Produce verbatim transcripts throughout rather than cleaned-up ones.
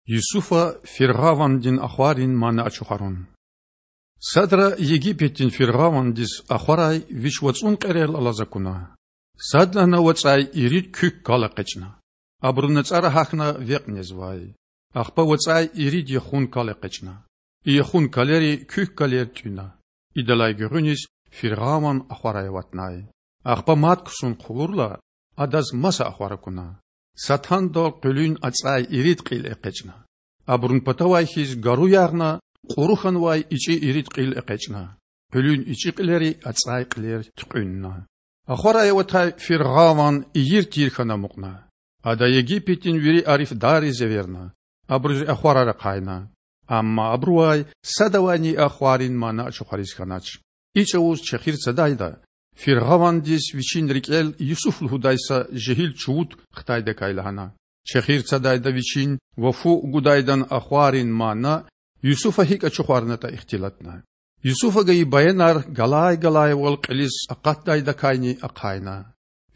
Юсуфа фиргъавандин ахварин мана ачухарун. Садра Египетдин фиргъавандиз ахварай вич вацІун кьерел алаз акуна. Садлагьана вацІай ирид куьк кал экъечІна. Абуру нацІара гьахьна векь незвай. Ахпа вацІай ирид яхун кал экъечІна. И яхун калери куьк калер тІуьна. Идалай гуьгъуьниз фиргъаван ахварай аватнай. Ахпа мад ксун хъувурла, адаз маса ахвар акуна. Са тандал къуьлуьн ацІай ирид кьил экъечІна. Абурун патавай хьиз гару ягъна, кьуру хьанвай ичІи ирид кьил экъечІна. Къуьлуьн ичІи кьилери ацІай кьилер туькьуьнна. Ахварай аватай фиргъаван ийир-тийир хьана амукьна. Ада Египетдин вири арифдарриз эверна, абуруз и ахварар ахъайна. Амма абурувай садавайни и ахварин мана ачухариз хьанач. И чІавуз чехир цадайда, фиргъавандиз вичин рикІел Юсуф лугьудай са жегьил чувуд хтайдакай лагьана. Чехир цадайда вичин ва фу гудайдан ахварин мана Юсуфа гьикІ ачухарнатІа ихтилатна. Юсуфа гайи баянар галай-галайвал кьилиз акъатдайдакайни ахъайна.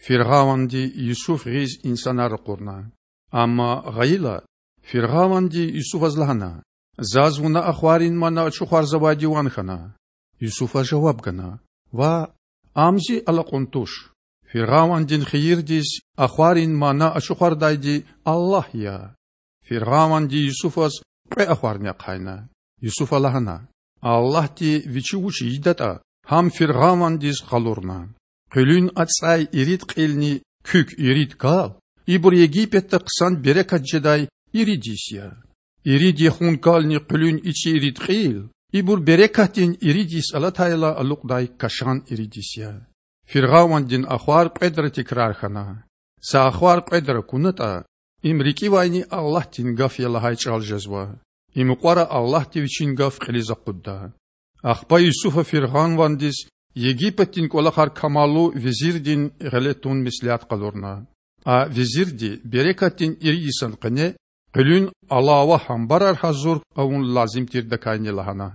Фиргъаванди Юсуф гъиз инсанар ракъурна. Амма гъайила, фиргъаванди Юсуфаз лагьана: Заз вуна ахварин мана ачухарзавайди ван хьана. Юсуфа жаваб гана: Ваъ, ам зи алакьун туш. Фиргъавандин хийирдиз ахварин мана ачухардайди Аллагь я. Фиргъаванди Юсуфаз кьве ахварни ахъайна. Юсуфа лагьана: Аллагьди вичи вуч ийидатІа, гьам фиргъавандиз къалурна. Къуьлуьн ацІай ирид кьилни куьк ирид кал— ибур Египетда хъсан берекат жедай ирид йис я. Ирид яхун кални къуьлуьн ичІи ирид кьил— ибур берекатдин ирид йис алатайла алукьдай кашан ирид йис я. Фиргъавандин ахвар кьведра тикрар хьана. Са ахвар кьведра акунатІа, им рикІивайни Аллагьдин гаф я лагьай чІал жезва. И мукьвара Аллагьди Вичин гаф кьилиз акъудда. Ахпа Юсуфа фиргъавандиз Египетдин кІвалахар камаллу везирдин гъиле тун меслят къалурна. А везирди берекатдин ирид йисан къене къуьлуьн алава гьамбарар гьазур авун лазим тирдакайни лагьана: